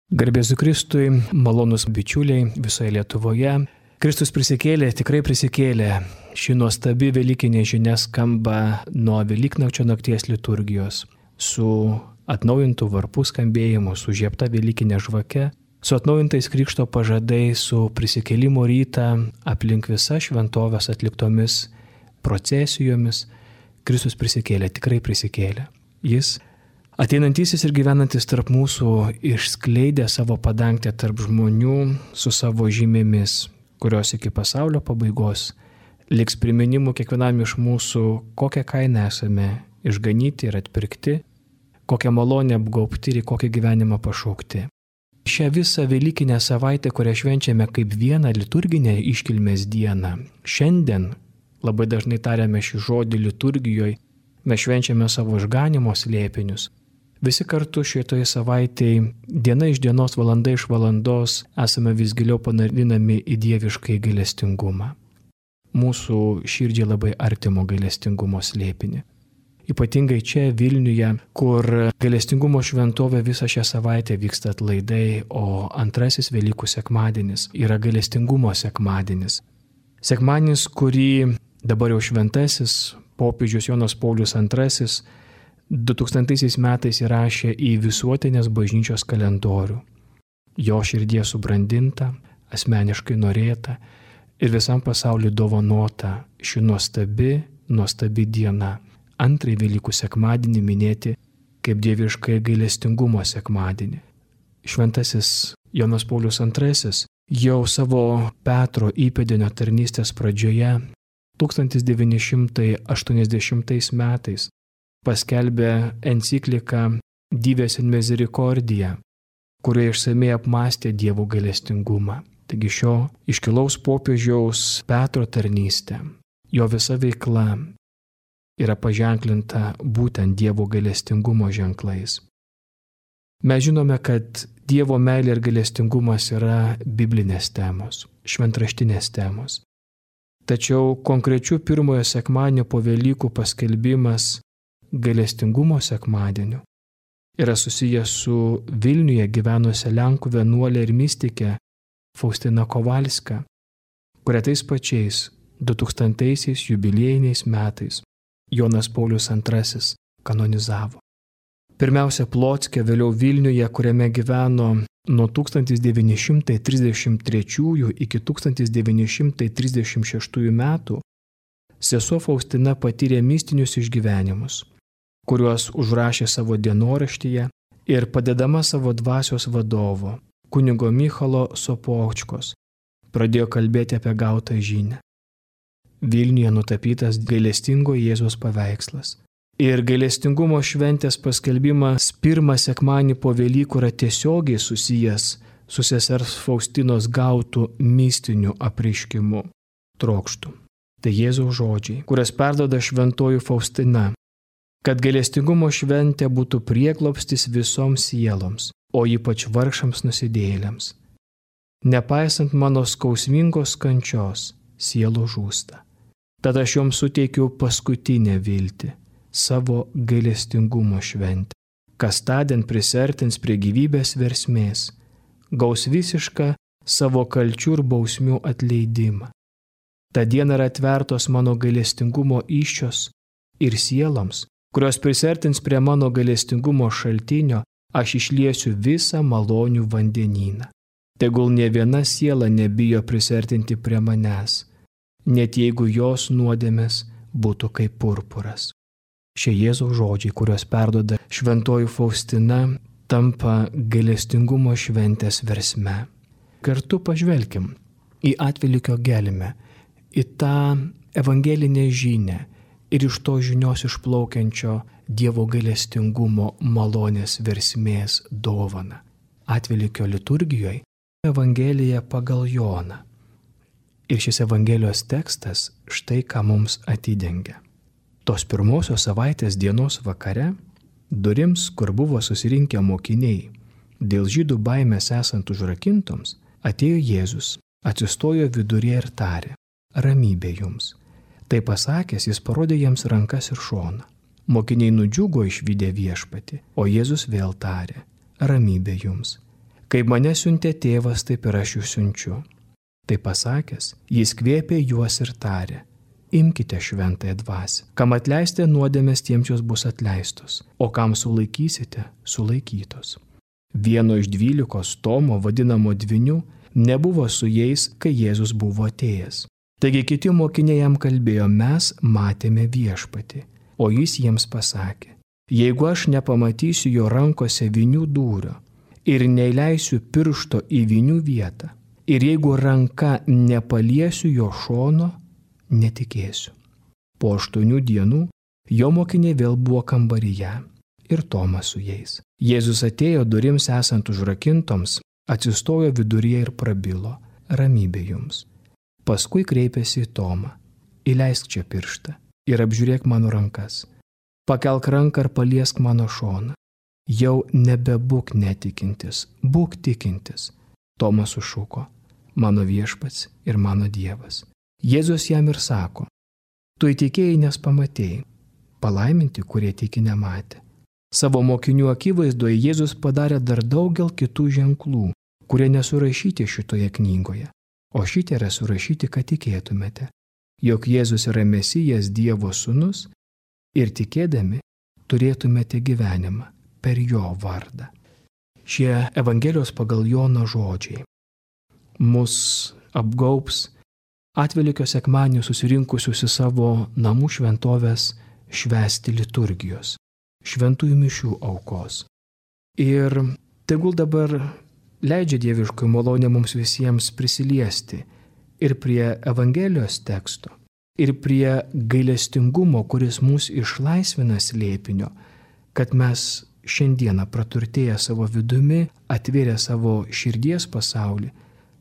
Garbės Kristui, malonus bičiuliai visoje Lietuvoje. Kristus prisikėlė, tikrai prisikėlė. Ši nuostabi velykinė žinia skamba nuo Velyknakčio nakties liturgijos, su atnaujintų varpų skambėjimu, su žiebta velykinė žvake, su atnaujintais krikšto pažadais, su prisikėlimo rytą aplink visas šventovės atliktomis procesijomis. Kristus prisikėlė, tikrai prisikėlė. Jis ateinantysis ir gyvenantis tarp mūsų išskleidė savo padangtę tarp žmonių su savo žymėmis, kurios iki pasaulio pabaigos liks priminimu kiekvienam iš mūsų, kokią kainą esame išganyti ir atpirkti, kokią malonę apgaubti ir kokį gyvenimą pašaukti. Šią visą velykinę savaitę, kurią švenčiame kaip vieną liturginę iškilmės dieną, šiandien labai dažnai tariame šį žodį liturgijoje, mes švenčiame savo išganimo slėpinius. Visi kartu šitoje savaitėje, diena iš dienos, valanda iš valandos, esame vis giliau panarinami į dieviškai gailestingumą. Mūsų širdžiai labai artimo gailestingumo slėpinį. Ypatingai čia Vilniuje, kur gailestingumo šventovė visą šią savaitę vyksta atlaidai, o antrasis Velykų sekmadienis yra gailestingumo sekmadienis. Sekmadienis, kurį dabar jau šventasis popiežius Jonas Paulius II 2000 metais įrašė į visuotinės bažnyčios kalendorių. Jo širdie subrandinta, asmeniškai norėta ir visam pasauliu dovanota ši nuostabi diena, antrąjį Velykų sekmadienį minėti kaip dieviškai gailestingumo sekmadienį. Šventasis Jonas Paulius II jau savo Petro įpėdinio tarnystės pradžioje 1980 metais paskelbė encikliką Dives in Misericordia, kurioje išsamei apmąstė Dievo gailestingumą. Taigi šio iškilaus popiežiaus Petro tarnystė, jo visa veikla yra paženklinta būtent Dievo gailestingumo ženklais. Mes žinome, kad Dievo meilė ir gailestingumas yra biblinės temos, šventraštinės temos. Tačiau konkrečių pirmojo sekmadienio po Velykų paskelbimas gailestingumo sekmadieniu yra susijęs su Vilniuje gyvenusia Lenkų vienuolė ir mistikė Faustina Kowalska, kurią tais pačiais 2000-aisiais jubiliejiniais metais Jonas Paulius II kanonizavo. Pirmiausia Plocke, vėliau Vilniuje, kuriame gyveno nuo 1933 iki 1936 metų, sesuo Faustina patyrė mistinius išgyvenimus, kuriuos užrašė savo dienoraštyje ir padedama savo dvasios vadovo, kunigo Michalo Sopočkos, pradėjo kalbėti apie gautą žinią. Vilniuje nutapytas gailestingo Jėzaus paveikslas. Ir gailestingumo šventės paskelbimas pirmą sekmadienį po Velykų yra tiesiogiai susijęs su sesers Faustinos gautų mistiniu apreiškimu, trokštu. Tai Jėzaus žodžiai, kurias perduoda šventoji Faustina, kad gailestingumo šventė būtų prieglobstis visoms sieloms, o ypač vargšams nusidėjėliams. Nepaisant mano skausmingos kančios, sielos žūsta. Tad aš joms suteikiu paskutinę viltį, savo gailestingumo šventę, kas tądien prisertins prie gyvybės versmės, gaus visišką savo kalčių ir bausmių atleidimą. Ta diena yra atvertos mano gailestingumo įsčios ir sieloms, kurios prisertins prie mano gailestingumo šaltinio, aš išliesiu visą malonių vandenyną. Tegul nė viena siela nebijo prisertinti prie manęs, net jeigu jos nuodėmės būtų kaip purpuras. Šie Jėzaus žodžiai, kuriuos perduoda šventoji Faustina, tampa gailestingumo šventės versme. Kartu pažvelkim į atvelykio gelmę, į tą evangelinę žinią ir iš to žinios išplaukiančio Dievo gailestingumo malonės versmės dovaną. Atvelykio liturgijoje Evangelija pagal Joną. Ir šis Evangelijos tekstas štai ką mums atidengia. Tos pirmosios savaitės dienos vakare, durims, kur buvo susirinkę mokiniai, dėl žydų baimės esant užrakintoms, atėjo Jėzus, atsistojo viduryje ir tarė: ramybė jums. Tai pasakęs, jis parodė jiems rankas ir šoną. Mokiniai nudžiugo išvydę viešpatį, o Jėzus vėl tarė: ramybė jums. Kaip mane siuntė tėvas, taip ir aš jūs siunčiu. Tai pasakęs, jis kvėpė juos ir tarė: imkite šventąją dvasią. Kam atleistė nuodėmės, tiems jos bus atleistos, o kam sulaikysite, sulaikytos. Vieno iš 12 Tomo, vadinamo Dvyniu, nebuvo su jais, kai Jėzus buvo atėjęs. Taigi kiti mokiniai jam kalbėjo: mes matėme Viešpatį. O jis jiems pasakė: jeigu aš nepamatysiu jo rankose vynių dūrio ir neįleisiu piršto į vynių vietą, ir jeigu ranka nepaliesiu jo šono, netikėsiu. Po 8 dienų jo mokiniai vėl buvo kambaryje ir Tomas su jais. Jėzus atėjo durims esant užrakintoms, atsistojo viduryje ir prabilo: ramybė jums. Paskui kreipėsi į Tomą: įleisk čia pirštą ir apžiūrėk mano rankas. Pakelk ranką ir paliesk mano šoną. Jau nebebūk netikintis, būk tikintis. Tomas sušuko: mano Viešpats ir mano Dievas. Jėzus jam ir sako: tu įtikėjai, nes pamatėjai. Palaiminti, kurie tiki nematė. Savo mokinių akivaizdoje Jėzus padarė dar daugel kitų ženklų, kurie nesurašyti šitoje knygoje. O šitie yra surašyti, kad tikėtumėte, jog Jėzus yra Mesijas, Dievo sūnus, ir tikėdami turėtumėte gyvenimą per jo vardą. Šie Evangelijos pagal Joną žodžiai mus apgaubs Atvelykio sekmadienį susirinkusius į savo namų šventovės švęsti liturgijos, šventųjų mišių aukos. Ir tegul dabar leidžia dieviškoji malonė mums visiems prisiliesti ir prie Evangelijos teksto, ir prie gailestingumo, kuris mus išlaisvina slėpinio, kad mes šiandieną praturtėję savo vidumi, atvėrę savo širdies pasaulį,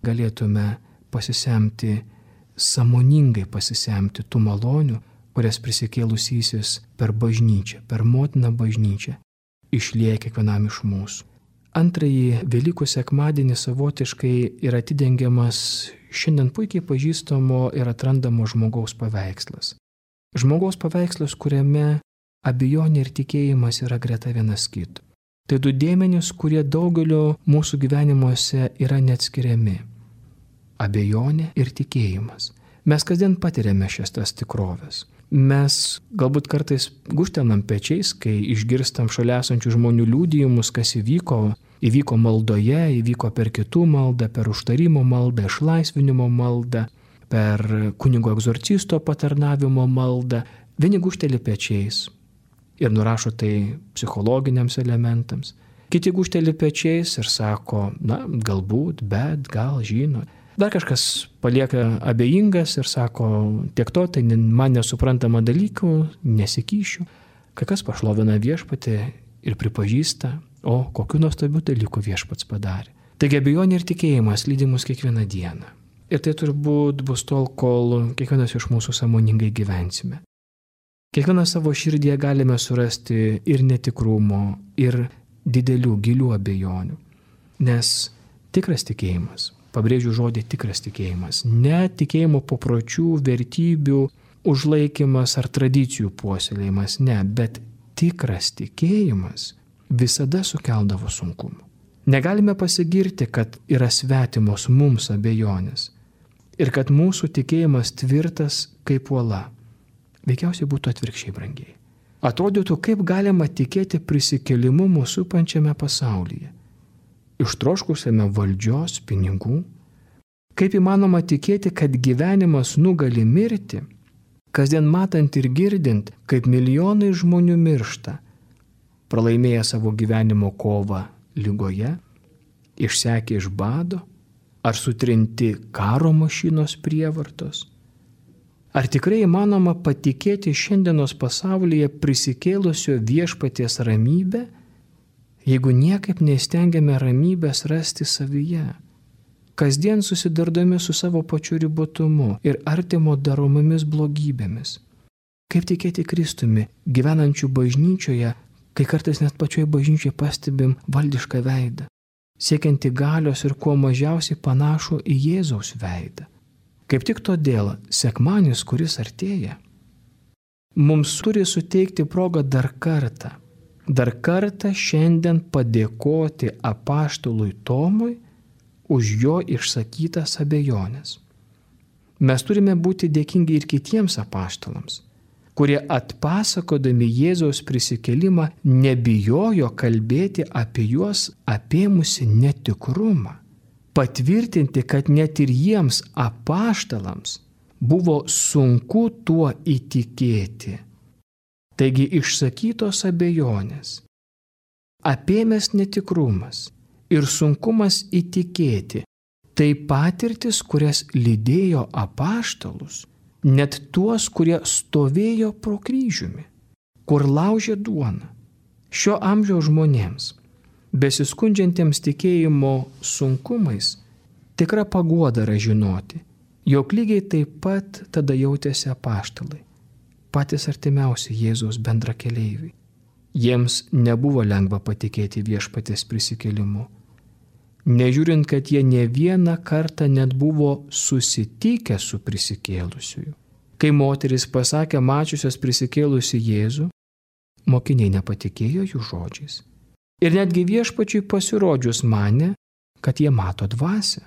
galėtume pasisemti, sąmoningai pasisemti tų malonių, kurias prisikėlusysis per bažnyčią, per motiną bažnyčią, išlieja kiekvienam iš mūsų. Antrąjį Velykų sekmadienį savotiškai yra atidengiamas šiandien puikiai pažįstamo ir atrandamo žmogaus paveikslas. Žmogaus paveikslas, kuriame abejonė ir tikėjimas yra greta vienas kito. Tai du dėmenys, kurie daugelio mūsų gyvenimuose yra neatskiriami. Abejonė ir tikėjimas. Mes kasdien patiriame šias tas tikrovės. Mes galbūt kartais gūžtenam pečiais, kai išgirstam šalia esančių žmonių liudijimus, kas įvyko. Įvyko maldoje, įvyko per kitų maldą, per užtarimo maldą, išlaisvinimo maldą, per kunigo egzorcisto patarnavimo maldą. Vieni gūžteli pečiais ir nurašo tai psichologiniams elementams. Kiti gūžteli pečiais ir sako: na, galbūt, bet, gal, žino. Dar kažkas palieka abejingas ir sako: tiek to, tai man nesuprantama dalykų, nesikyšiu. Kai kas pašlovina Viešpatį ir pripažįsta: o kokiu nuostabiu dalyku Viešpats padarė. Taigi abejonė ir tikėjimas lydi mus kiekvieną dieną. Ir tai turbūt bus tol, kol kiekvienas iš mūsų sąmoningai gyvensime. Kiekvieną savo širdyje galime surasti ir netikrumo, ir didelių, gilių abejonių. Nes tikras tikėjimas, pabrėžiu žodį tikras tikėjimas, ne tikėjimo papročių, vertybių užlaikymas ar tradicijų puoselėjimas, ne, bet tikras tikėjimas visada sukeldavo sunkumų. Negalime pasigirti, kad yra svetimos mums abejonės ir kad mūsų tikėjimas tvirtas kaip uola. Veikiausiai būtų atvirkščiai, brangiai. Atrodytų, kaip galima tikėti prisikėlimu mūsų supančiame pasaulyje, ištroškusiame valdžios, pinigų. Kaip įmanoma tikėti, kad gyvenimas nugali mirti, kasdien matant ir girdint, kaip milijonai žmonių miršta, pralaimėję savo gyvenimo kovą ligoje, išsekę iš bado, ar sutrinti karo mašinos prievartos. Ar tikrai įmanoma patikėti šiandienos pasaulyje prisikėlusio Viešpaties ramybę, jeigu niekaip neįstengiame ramybės rasti savyje, kasdien susidurdami su savo pačiu ribotumu ir artimo daromomis blogybėmis? Kaip tikėti Kristumi, gyvenančių bažnyčioje, kai kartais net pačioje bažnyčioje pastebim valdišką veidą, siekianti galios ir kuo mažiausiai panašų į Jėzaus veidą? Kaip tik todėl sekmadienis, kuris artėja, mums turi suteikti progą dar kartą dar kartą šiandien padėkoti apaštalui Tomui už jo išsakytas abejonės. Mes turime būti dėkingi ir kitiems apaštalams, kurie atpasakodami Jėzaus prisikėlimą nebijojo kalbėti apie juos apėmusi netikrumą, patvirtinti, kad net ir jiems apaštalams buvo sunku tuo įtikėti. Taigi išsakytos abejonės, apėmęs netikrumas ir sunkumas įtikėti, tai patirtis, kurias lydėjo apaštalus, net tuos, kurie stovėjo pro kryžiumi, kur laužė duoną. Šio amžiaus žmonėms, besiskundžiantiems tikėjimo sunkumais, tikra paguoda yra žinoti, jog lygiai taip pat tada jautėsi apaštalai, patys artimiausi Jėzaus bendrakeleiviai. Jiems nebuvo lengva patikėti Viešpaties prisikėlimu, nežiūrint, kad jie ne vieną kartą net buvo susitikę su prisikėlusiuju. Kai moteris pasakė mačiusios prisikėlusi Jėzų, mokiniai nepatikėjo jų žodžiais. Ir netgi Viešpačiui pasirodžius manė, kad jie mato dvasią.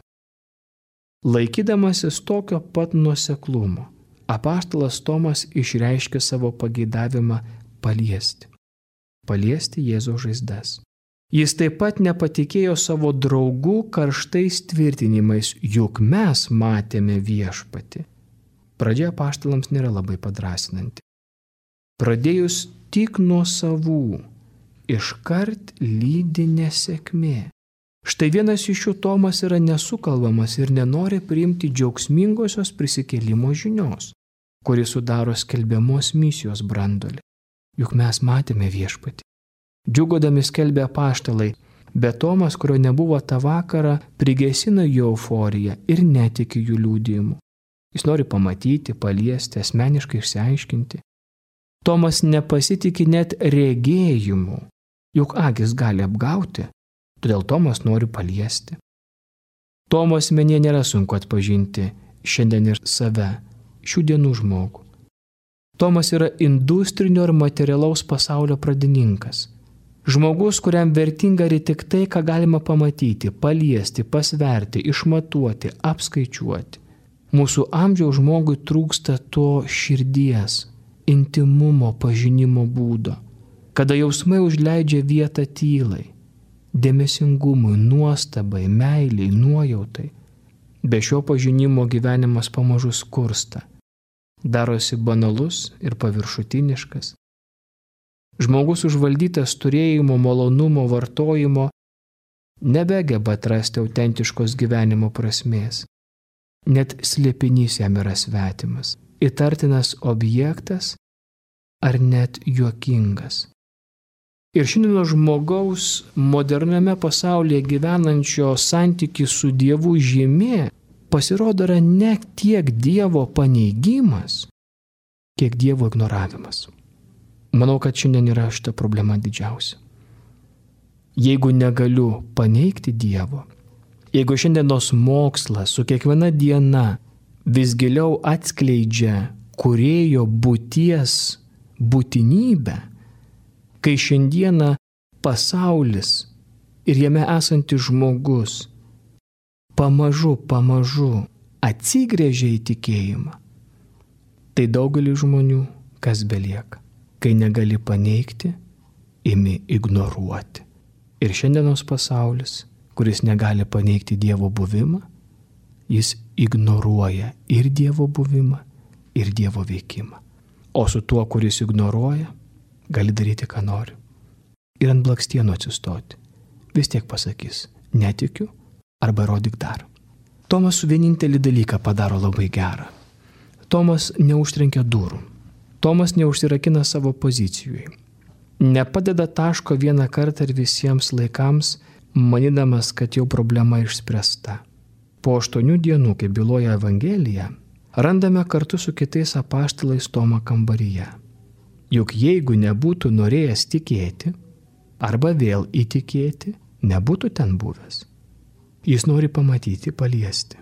Laikydamasis tokio pat nuoseklumo, apaštalas Tomas išreiškė savo pageidavimą paliesti Jėzaus žaizdas. Jis taip pat nepatikėjo savo draugų karštais tvirtinimais, juk mes matėme Viešpatį. Pradžia apaštalams nėra labai padrasinanti. Pradėjus tik nuo savų, iškart lydi nesėkmė. Štai vienas iš jų Tomas yra nesukalbamas ir nenori priimti džiaugsmingosios prisikėlimo žinios, kuri sudaro skelbiamos misijos branduolį. Juk mes matėme Viešpatį. Džiugodami skelbė apaštalai, bet Tomas, kurio nebuvo tą vakarą, prigesina jų euforiją ir netiki jų liudijimu. Jis nori pamatyti, paliesti, asmeniškai išsiaiškinti. Tomas nepasitikė net regėjimu, juk akis gali apgauti, todėl Tomas nori paliesti. Tomo asmenyje nėra sunku atpažinti šiandien ir save, šių dienų žmogų. Tomas yra industrinio ir materialaus pasaulio pradininkas. Žmogus, kuriam vertinga yra tik tai, ką galima pamatyti, paliesti, pasverti, išmatuoti, apskaičiuoti. Mūsų amžiaus žmogui trūksta to širdies, intimumo, pažinimo būdo, kada jausmai užleidžia vietą tylai, dėmesingumui, nuostabai, meiliai, nuojautai. Be šio pažinimo gyvenimas pamažu skursta, darosi banalus ir paviršutiniškas. Žmogus užvaldytas turėjimo, malonumo, vartojimo nebegeba atrasti autentiškos gyvenimo prasmės. Net slėpinys jam yra svetimas, įtartinas objektas ar net juokingas. Ir šiandien žmogaus moderniame pasaulyje gyvenančio santykį su Dievu žymė pasirodo yra ne tiek Dievo paneigimas, kiek Dievo ignoravimas. Manau, kad šiandien yra šita problema didžiausia. Jeigu negaliu paneigti Dievo, jeigu šiandienos mokslas su kiekviena diena vis giliau atskleidžia kūrėjo būties būtinybę, kai šiandieną pasaulis ir jame esantis žmogus pamažu atsigręžia į tikėjimą, tai daugelį žmonių kas belieka. Kai negali paneigti, imi ignoruoti. Ir šiandienos pasaulis, kuris negali paneigti Dievo buvimą, jis ignoruoja ir Dievo buvimą, ir Dievo veikimą. O su tuo, kuris ignoruoja, gali daryti, ką nori. Ir ant blakstienų atsistoti. Vis tiek pasakys, netikiu arba rodyk dar. Tomas vienintelį dalyką padaro labai gerą. Tomas neužtrenkia durų. Tomas neužsirakina savo pozicijoje. Nepadeda taško vieną kartą ir visiems laikams, manydamas, kad jau problema išspręsta. Po 8 dienų, kaip byloja Evangelija, randame kartu su kitais apaštalais Tomą kambaryje. Juk jeigu nebūtų norėjęs tikėti, arba vėl įtikėti, nebūtų ten buvęs. Jis nori pamatyti, paliesti.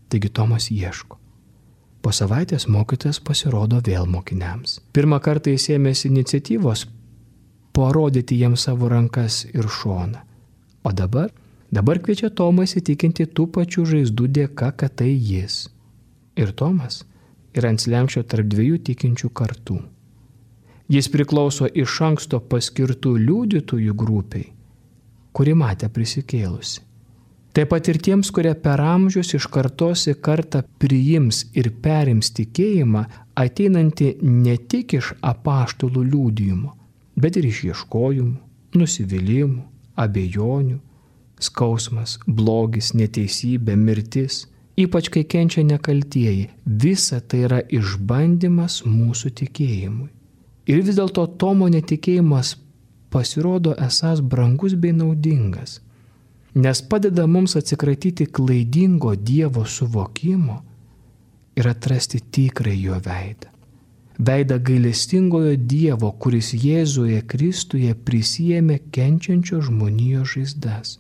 Taigi Tomas ieško. Po savaitės mokytojas pasirodo vėl mokiniams. Pirmą kartą jis ėmėsi iniciatyvos parodyti jiems savo rankas ir šoną. O dabar kviečia Tomą įsitikinti tų pačių žaizdų dėka, kad tai jis. Ir Tomas yra ant slenksčio tarp dviejų tikinčių kartų. Jis priklauso iš anksto paskirtų liudytojų grupiai, kuri matė prisikėlusi. Taip pat ir tiems, kurie per amžius iš kartos į kartą priims ir perims tikėjimą, ateinantį ne tik iš apaštalų liudijimo, bet ir iš ieškojimų, nusivylimų, abejonių, skausmas, blogis, neteisybė, mirtis, ypač kai kenčia nekaltieji. Visa tai yra išbandymas mūsų tikėjimui. Ir vis dėlto Tomo netikėjimas pasirodo esąs brangus bei naudingas, nes padeda mums atsikratyti klaidingo Dievo suvokimo ir atrasti tikrąjį jo veidą. Veidą gailestingojo Dievo, kuris Jėzuje Kristuje prisiėmė kenčiančio žmonijos žaizdas.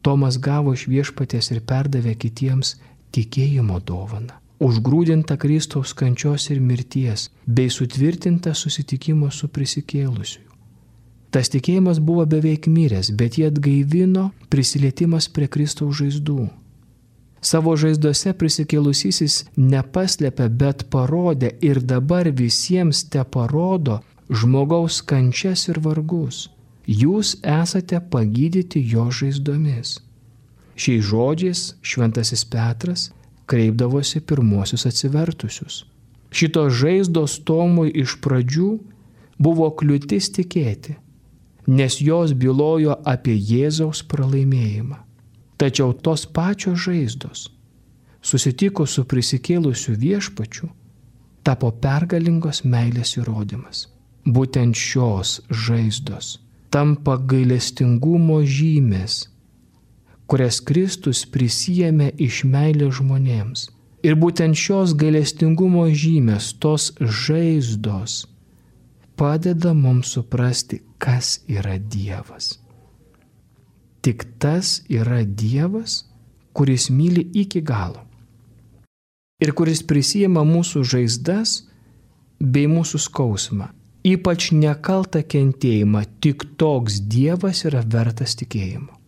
Tomas gavo iš Viešpaties ir perdavė kitiems tikėjimo dovaną, užgrūdintą Kristaus kančios ir mirties, bei sutvirtintą susitikimo su prisikėlusiu. Tas tikėjimas buvo beveik miręs, bet jį atgaivino prisilietimas prie Kristaus žaizdų. Savo žaizdose prisikėlusysis nepaslėpė, bet parodė ir dabar visiems te parodo žmogaus kančias ir vargus. Jūs esate pagydyti jo žaizdomis. Šiais žodžiais šventasis Petras kreipdavosi pirmosius atsivertusius. Šitos žaizdos Tomui iš pradžių buvo kliūtis tikėti, nes jos bylojo apie Jėzaus pralaimėjimą. Tačiau tos pačios žaizdos, susitikus su prisikėlusiu Viešpačiu, tapo pergalingos meilės įrodymas. Būtent šios žaizdos tampa gailestingumo žymės, kurias Kristus prisiėmė iš meilės žmonėms. Ir būtent šios gailestingumo žymės, tos žaizdos, padeda mums suprasti, kas yra Dievas. Tik tas yra Dievas, kuris myli iki galo ir kuris prisijima mūsų žaizdas bei mūsų skausmą, ypač nekaltą kentėjimą. Tik toks Dievas yra vertas tikėjimo.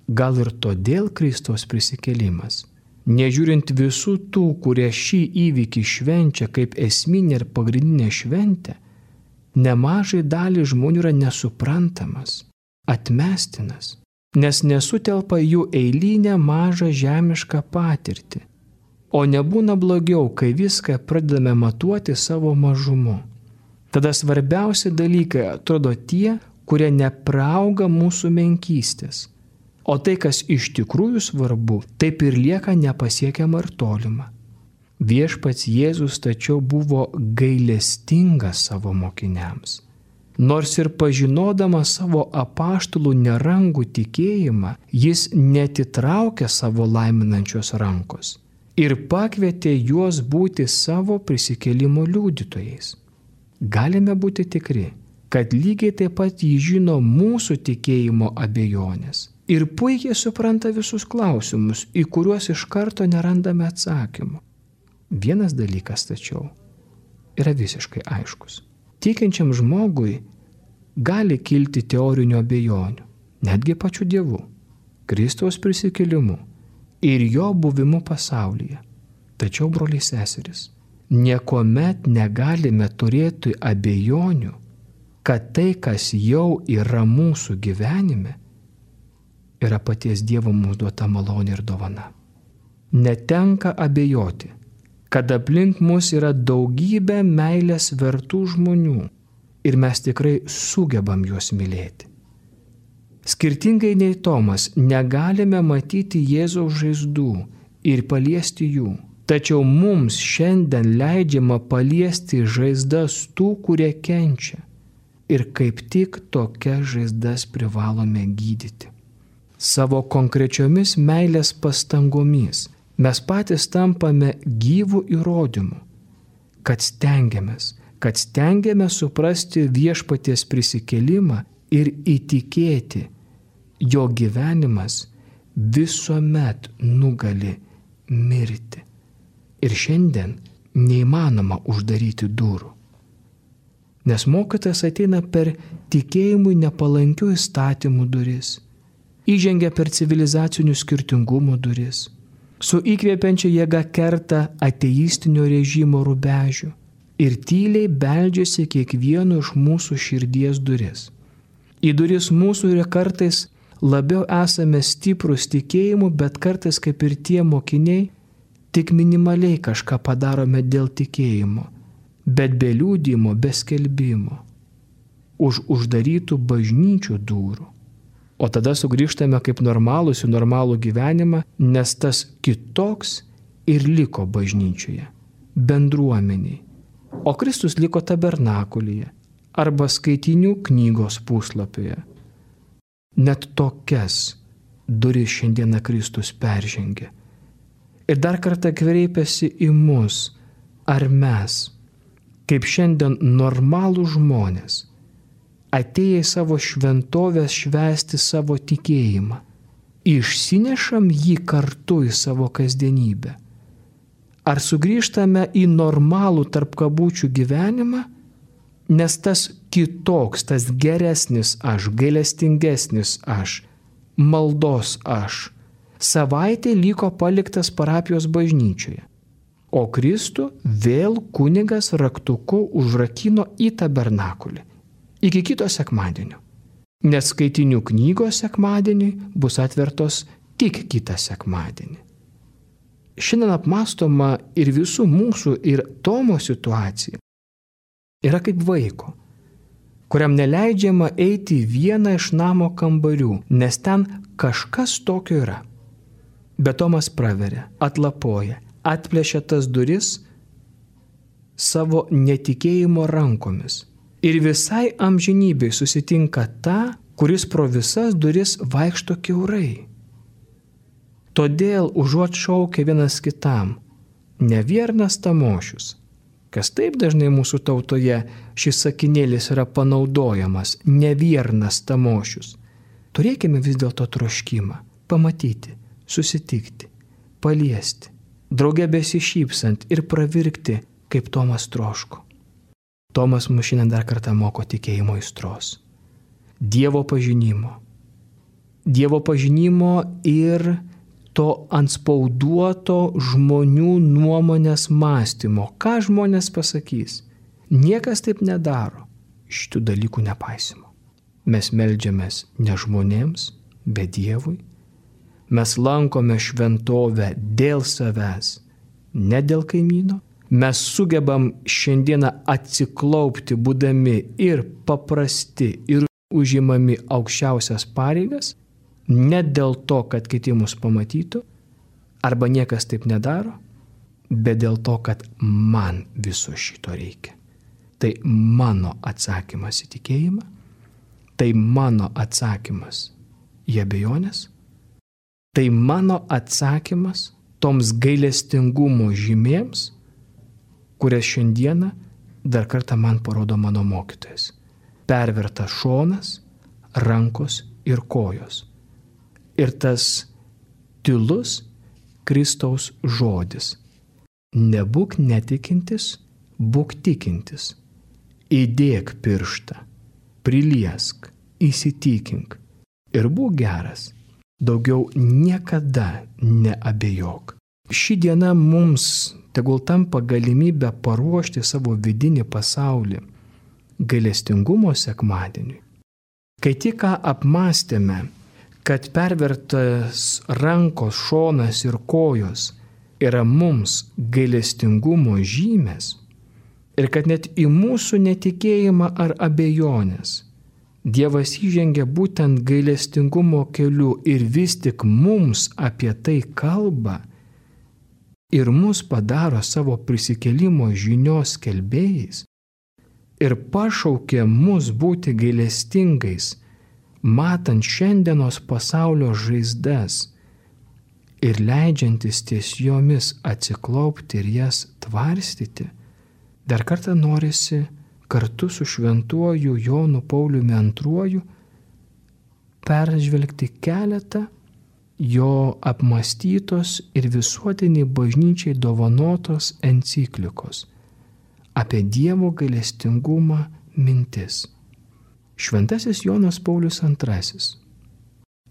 Gal ir todėl Kristaus prisikėlimas, nežiūrint visų tų, kurie šį įvykį švenčia kaip esminę ir pagrindinę šventę, nemažai dalį žmonių yra nesuprantamas, atmestinas, nes nesutelpa jų eilinę mažą žemišką patirtį. O nebūna blogiau, kai viską pradedame matuoti savo mažumu. Tada svarbiausi dalykai atrodo tie, kurie neprauga mūsų menkystės. O tai, kas iš tikrųjų svarbu, taip ir lieka nepasiekiama ir tolima. Viešpats Jėzus tačiau buvo gailestingas savo mokiniams. Nors ir pažinodamas savo apaštalų nerangų tikėjimą, jis netitraukė savo laiminančios rankos ir pakvietė juos būti savo prisikėlimo liudytojais. Galime būti tikri, kad lygiai taip pat jį žino mūsų tikėjimo abejonės ir puikiai supranta visus klausimus, į kuriuos iš karto nerandame atsakymų. Vienas dalykas tačiau yra visiškai aiškus. Tikinčiam žmogui gali kilti teorinių abejonių, netgi pačiu Dievu, Kristaus prisikėlimu ir jo buvimu pasaulyje. Tačiau, broliai seserys, niekuomet negalime turėti abejonių, kad tai, kas jau yra mūsų gyvenime, yra paties Dievo mums duota malonė ir dovana. Netenka abejoti, kad aplink mus yra daugybė meilės vertų žmonių ir mes tikrai sugebam juos mylėti. Skirtingai nei Tomas, negalime matyti Jėzaus žaizdų ir paliesti jų, tačiau mums šiandien leidžiama paliesti žaizdas tų, kurie kenčia, ir kaip tik tokias žaizdas privalome gydyti. Savo konkrečiomis meilės pastangomis mes patys tampame gyvų įrodymų, kad stengiamės suprasti Viešpaties prisikėlimą ir įtikėti, jo gyvenimas visuomet nugali mirti. Ir šiandien neįmanoma uždaryti durų. nes mokytojas ateina per tikėjimui nepalankių įstatymų duris, įžengia per civilizacinių skirtingumų duris, su įkvėpiančia jėga kerta ateistinio režimo rubežių ir tyliai beldžiasi kiekvieno iš mūsų širdies duris. Į duris mūsų ir kartais labiau esame stiprus tikėjimu, bet kartais kaip ir tie mokiniai, tik minimaliai kažką padarome dėl tikėjimo, bet be liudijimo, be skelbimo, už uždarytų bažnyčių durų. O tada sugrįžtame kaip normalūs į normalų gyvenimą, nes tas kitoks ir liko bažnyčioje, bendruomeniai. O Kristus liko tabernakulyje arba skaitinių knygos puslapyje. Net tokias duris šiandieną Kristus peržengė. Ir dar kartą kreipiasi į mus, ar mes, kaip šiandien normalų žmonės, atėję į savo šventovės švęsti savo tikėjimą, išsinešam jį kartu į savo kasdienybę. Ar sugrįžtame į normalų tarp kabučių gyvenimą, nes tas kitoks, tas geresnis aš, gailestingesnis aš, maldos aš, savaitė liko paliktas parapijos bažnyčioje, o Kristų vėl kunigas raktuku užrakino į tabernakulį. Iki kito sekmadienio, nes skaitinių knygos sekmadienį bus atvertos tik kitą sekmadienį. Šiandien apmąstoma ir visų mūsų ir Tomo situacija yra kaip vaiko, kuriam neleidžiama eiti į vieną iš namo kambarių, nes ten kažkas tokio yra. Bet Tomas praveria, atlapoja, atplėšia tas duris savo netikėjimo rankomis. Ir visai amžinybei susitinka tą, kuris pro visas duris vaikšto kiaurai. Todėl užuot šaukia vienas kitam, neviernas tamošius, kas taip dažnai mūsų tautoje šis sakinėlis yra panaudojamas, neviernas tamošius, turėkime vis dėlto troškimą pamatyti, susitikti, paliesti, drauge besišypsant ir pravirkti, kaip Tomas troško. Tomas mus šiandien dar kartą moko tikėjimo aistros, Dievo pažinimo ir to antspauduoto žmonių nuomonės mąstymo. Ką žmonės pasakys? Niekas taip nedaro, šitų dalykų nepaisimo. Mes meldžiamės ne žmonėms, bet Dievui. Mes lankome šventovę dėl savęs, ne dėl kaimyno. Mes sugebam šiandieną atsiklaupti, būdami ir paprasti, ir užimami aukščiausias pareigas, ne dėl to, kad kiti mus pamatytų, arba niekas taip nedaro, bet dėl to, kad man viso šito reikia. Tai mano atsakymas į tikėjimą, tai mano atsakymas į abejonės, tai mano atsakymas toms gailestingumo žymėms, kurias šiandieną dar kartą man parodo mano mokytojas. Pervertas šonas, rankos ir kojos. Ir tas tylus Kristaus žodis. Nebūk netikintis, būk tikintis. Įdėk pirštą, priliesk, įsitikink ir būk geras. Daugiau niekada neabejok. Ši diena mums tegul tampa galimybę paruošti savo vidinį pasaulį gailestingumo sekmadieniui. Kai tik ką apmąstėme, kad pervertas rankos, šonas ir kojos yra mums gailestingumo žymės ir kad net į mūsų netikėjimą ar abejonės Dievas įžengia būtent gailestingumo keliu ir vis tik mums apie tai kalba ir mus padaro savo prisikėlimo žinios skelbėjais ir pašaukė mus būti gailestingais, matant šiandienos pasaulio žaizdas ir leidžiantis ties jomis atsiklaupti ir jas tvarstyti, dar kartą norisi kartu su šventuoju Jonu Pauliumi II peržvelgti keletą jo apmąstytos ir visuotiniai bažnyčiai dovanotos enciklikos apie Dievo gailestingumą mintis. Šventasis Jonas Paulius II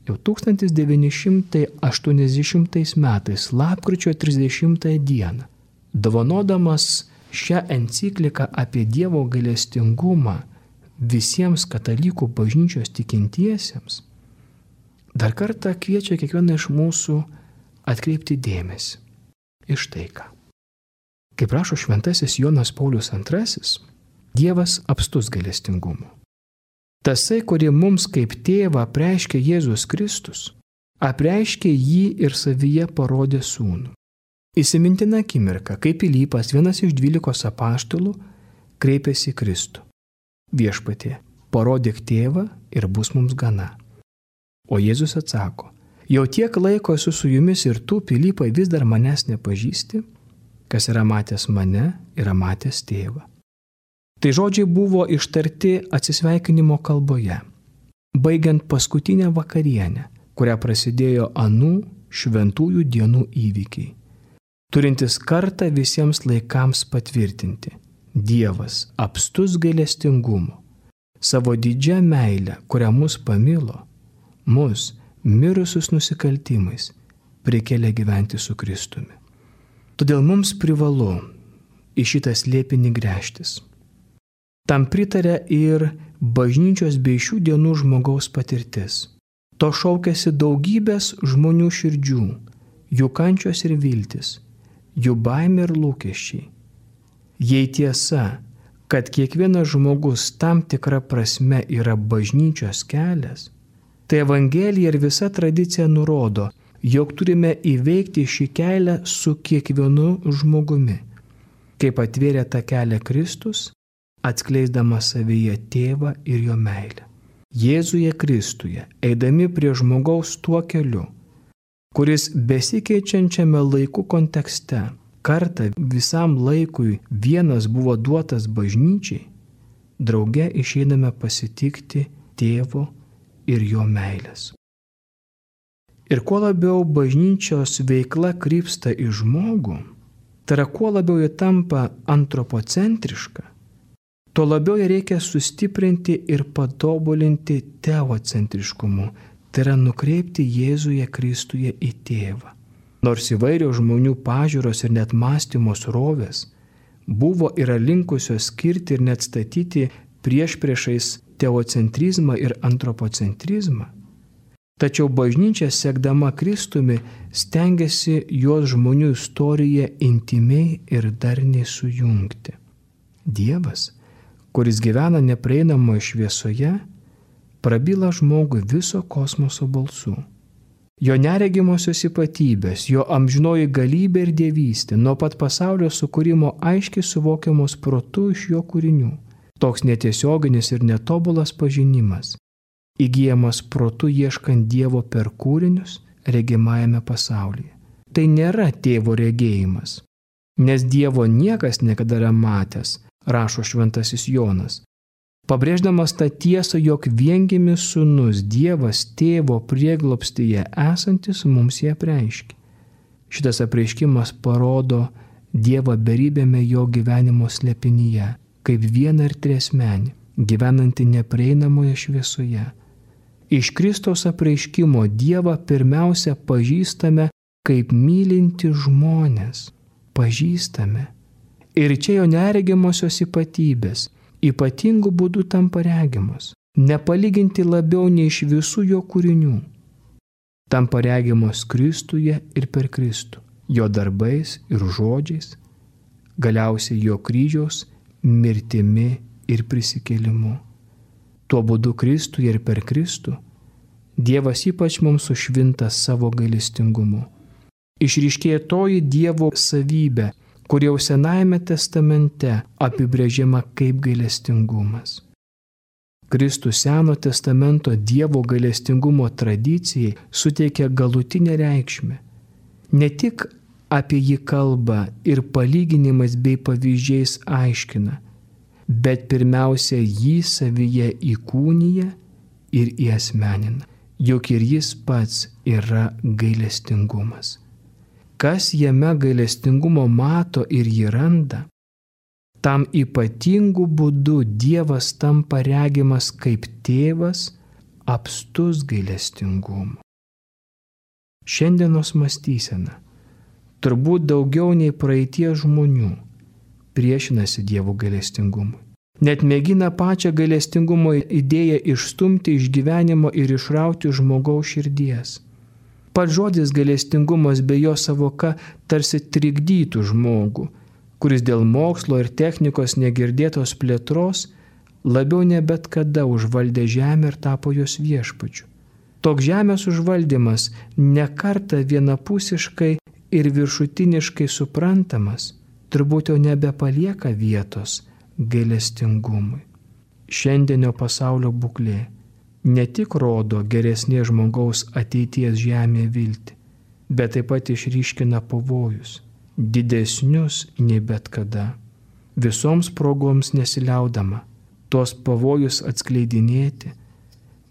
jau 1980 metais lapkričio 30 dieną, dovanodamas šią encikliką apie Dievo gailestingumą visiems katalikų bažnyčios tikintiesiems, dar kartą kviečia kiekvieną iš mūsų atkreipti dėmesį į štai ką. Kaip rašo šventasis Jonas Paulius II, Dievas apstus gailestingumu. Tasai, kurį mums kaip tėvą apreiškė Jėzus Kristus, apreiškė jį ir savyje parodė sūnų. Įsimintina akimirka, kai Pilypas, vienas iš 12 apaštalų, kreipėsi į Kristų. Viešpatie, parodyk tėvą ir bus mums gana. O Jėzus atsako, jau tiek laiko esu su jumis ir tu, Pilypai, vis dar manęs nepažįsti, kas yra matęs mane, yra matęs tėvą. Tai žodžiai buvo ištarti atsisveikinimo kalboje, baigiant paskutinę vakarienę, kurią prasidėjo anų šventųjų dienų įvykiai, turintis kartą visiems laikams patvirtinti: Dievas apstus gailestingumu, savo didžią meilę, kurią mus pamilo, mus, mirusius nusikaltimais, prikėlė gyventi su Kristumi. Todėl mums privalu į šitą slėpinį gręžtis. Tam pritarė ir bažnyčios bei šių dienų žmogaus patirtis. To šaukėsi daugybės žmonių širdžių, jų kančios ir viltis, jų baimė ir lūkesčiai. Jei tiesa, kad kiekvienas žmogus tam tikra prasme yra bažnyčios kelias, tai Evangelija ir visa tradicija nurodo, jog turime įveikti šį kelią su kiekvienu žmogumi, kaip atvėrė tą kelią Kristus, atskleisdamas savyje tėvą ir jo meilę. Jėzuje Kristuje, eidami prie žmogaus tuo keliu, kuris besikeičiančiame laikų kontekste kartą visam laikui vienas buvo duotas bažnyčiai, drauge išeiname pasitikti tėvo ir jo meilės. Ir kuo labiau bažnyčios veikla krypsta į žmogų, tai yra kuo labiau ji tampa antropocentriška, tuo labiau ją reikia sustiprinti ir patobulinti teocentriškumu, tai yra nukreipti Jėzuje Kristuje į tėvą. Nors įvairios žmonių pažiūros ir net mąstymo srovės buvo yra linkusios skirti ir net statyti priešpriešais teocentrizmą ir antropocentrizmą, tačiau bažnyčia, sekdama Kristumi, stengiasi jos žmonių istoriją intymiai ir darniai sujungti. Dievas, kuris gyvena neprieinamoje šviesoje, prabyla žmogui viso kosmoso balsu. Jo neregimosios ypatybės, jo amžinoji galybė ir dievystė nuo pat pasaulio sukūrimo aiškiai suvokiamos protu iš jo kūrinių. Toks netiesioginis ir netobulas pažinimas, įgyjamas protu ieškant Dievo per kūrinius regimajame pasaulyje. Tai nėra tėvo regėjimas, nes Dievo niekas niekada nėra matęs, rašo šventasis Jonas, pabrėždamas tą tiesą, jog viengimis sūnus Dievas tėvo prieglobstyje esantis mums jį apreiškė. Šitas apreiškimas parodo Dievą beribėme jo gyvenimo slėpinyje, kaip vieną ir triasmenį, gyvenantį neprieinamoje šviesoje. Iš Kristaus apreiškimo Dievą pirmiausia pažįstame kaip mylinti žmonės. Pažįstame. Ir čia jo neregimosios ypatybės ypatingų būdų tampa regimos, nepalyginti labiau nei iš visų jo kūrinių. Tampa regimos Kristuje ir per Kristų, jo darbais ir žodžiais, galiausiai jo kryžiaus mirtimi ir prisikėlimu. Tuo būdu Kristuje ir per Kristų Dievas ypač mums sušvinta savo gailestingumu. Išryškėja toji Dievo savybė, kur jau Senajame testamente apibrėžiama kaip gailestingumas. Kristus Seno testamento Dievo gailestingumo tradicijai suteikia galutinę reikšmę. Ne tik apie jį kalba ir palyginimais bei pavyzdžiais aiškina, bet pirmiausia jį savyje įkūnija ir įasmenina, juk ir jis pats yra gailestingumas. Kas jame gailestingumo mato ir jį randa, Tam ypatingu būdu Dievas tampa regimas kaip tėvas, apstus gailestingumu. Šiandienos mąstysena turbūt daugiau nei praeities žmonių priešinasi Dievo gailestingumui. Net mėgina pačią gailestingumo idėją išstumti iš gyvenimo ir išrauti žmogaus širdies. Pats žodis gailestingumas bei jo savoka tarsi trikdytų žmogų, kuris dėl mokslo ir technikos negirdėtos plėtros labiau ne bet kada užvaldė žemę ir tapo jos viešpačiu. Toks žemės užvaldymas ne kartą vienapusiškai ir viršutiniškai suprantamas, turbūt jau nebepalieka vietos gailestingumui. Šiandienio pasaulio būklė ne tik rodo geresnės žmogaus ateities žemėje viltį, bet taip pat išryškina pavojus, didesnius nei bet kada. Visoms progoms nesiliaudama tuos pavojus atskleidinėti,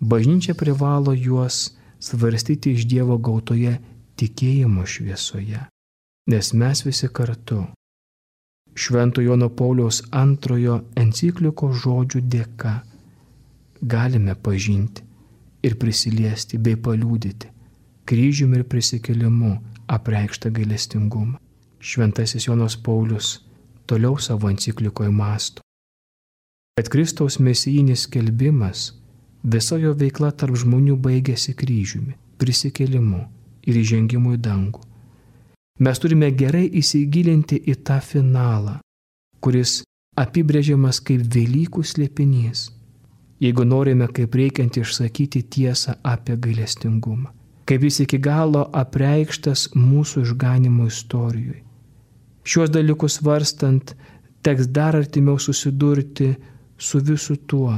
bažnyčia privalo juos svarstyti iš Dievo gautoje tikėjimo šviesoje, nes mes visi kartu Švento Jono Pauliaus II enciklikos žodžių dėka galime pažinti ir prisiliesti bei paliudyti kryžiumi ir prisikėlimu apreikštą gailestingumą. Šventasis Jonas Paulius toliau savo enciklikoje mąsto, kad Kristaus mesijinis skelbimas, visa jo veikla tarp žmonių baigėsi kryžiumi, prisikėlimu ir įžengimu į dangų. Mes turime gerai įsigilinti į tą finalą, kuris apibrėžiamas kaip Velykų slėpinys, jeigu norime kaip reikiant išsakyti tiesą apie gailestingumą, kaip jis iki galo apreikštas mūsų išganimo istorijoje. Šiuos dalykus svarstant, teks dar artimiau susidurti su visu tuo,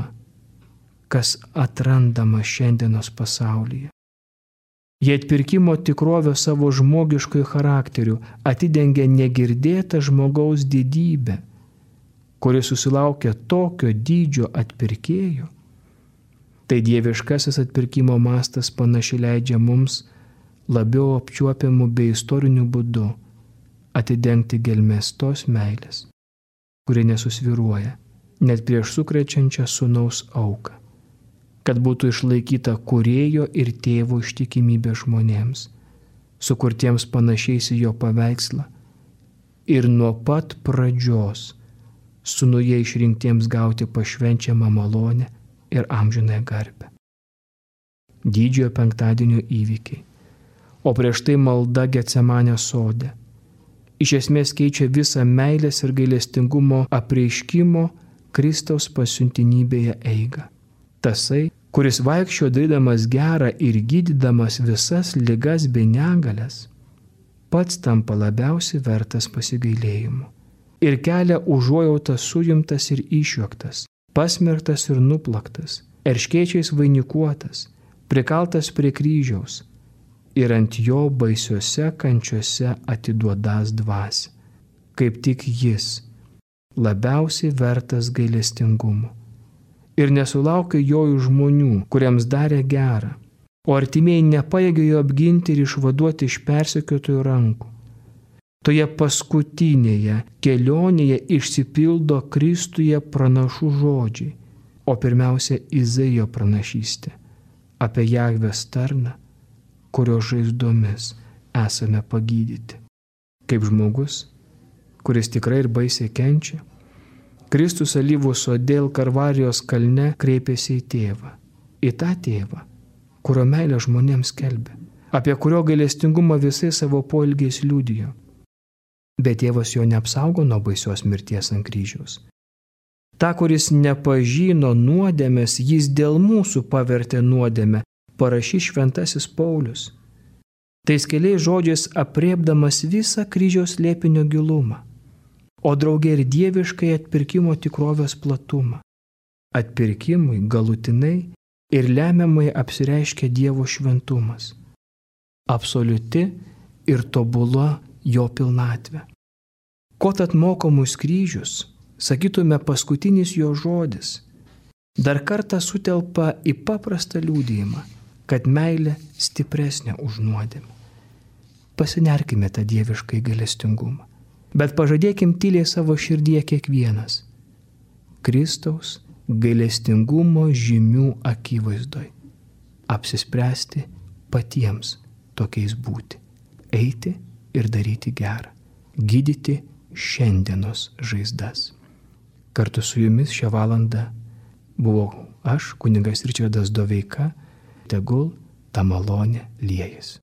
kas atrandama šiandienos pasaulyje. Jei atpirkimo tikrovė savo žmogiškojų charakterių atidengia negirdėtą žmogaus didybę, kuris susilaukia tokio dydžio atpirkėjo, tai dieviškasis atpirkimo mastas panašiai leidžia mums labiau apčiuopiamų bei istorinių būdų atidengti gelmes tos meilės, kuri nesusvyruoja net prieš sukrečiančią sūnaus auką, kad būtų išlaikyta kūrėjo ir tėvo ištikimybė žmonėms, sukurtiems panašiais į jo paveikslą ir nuo pat pradžios sūnuje išrinktiems gauti pašvenčiamą malonę ir amžinąją garbę. Didžiojo penktadienio įvykiai, o prieš tai malda Getsemanės sode, iš esmės keičia visą meilės ir gailestingumo apreiškimo Kristaus pasiuntinybėje eigą. Tasai, kuris vaikščiojo darydamas gerą ir gydydamas visas ligas bei negalias, pats tampa labiausiai vertas pasigailėjimo ir kelia užuojautą suimtas ir išjuoktas, pasmerktas ir nuplaktas, erškėčiais vainikuotas, prikaltas prie kryžiaus ir ant jo baisiose kančiose atiduodas dvasią, kaip tik jis labiausiai vertas gailestingumo. Ir nesulaukia jojų žmonių, kuriems darė gerą, o artimieji nepajėgė jo apginti ir išvaduoti iš persekiotojų rankų. Toje paskutinėje kelionėje išsipildo Kristuje pranašų žodžiai, o pirmiausia Izaijo pranašystė apie Jahvės tarną, kurio žaizdomis esame pagydyti. Kaip žmogus, kuris tikrai ir baisiai kenčia, Kristus alyvų sode Kalvarijos kalne kreipėsi į tėvą, į tą tėvą, kurio meilę žmonėms skelbė, apie kurio gailestingumą visai savo poelgiais liudijo. Bet tėvas jo neapsaugo nuo baisios mirties ant kryžiaus. Ta, kuris nepažino nuodėmės, jis dėl mūsų pavertė nuodėmę, parašys šventasis Paulius. Tais keliais žodžiais apriepdamas visą kryžiaus slėpinio gilumą, o draugė ir dieviškai atpirkimo tikrovės platumą. Atpirkimui galutinai ir lemiamai apsireiškia Dievo šventumas, absoliuti ir tobula jo pilnatvė. Ko tad moko mus kryžius, sakytume paskutinis jo žodis, dar kartą sutelpa į paprastą liudijimą, kad meilė stipresnė už nuodėmę. Pasinerkime tą dieviškai gailestingumą Bet pažadėkim tyliai savo širdyje kiekvienas Kristaus gailestingumo žymių akivaizdoj apsispręsti patiems tokiais būti, eiti ir daryti gerą, gydyti šiandienos žaizdas. Kartu su jumis šią valandą buvau aš, kunigas Ričardas Doveika, tegul ta malonė liejasi.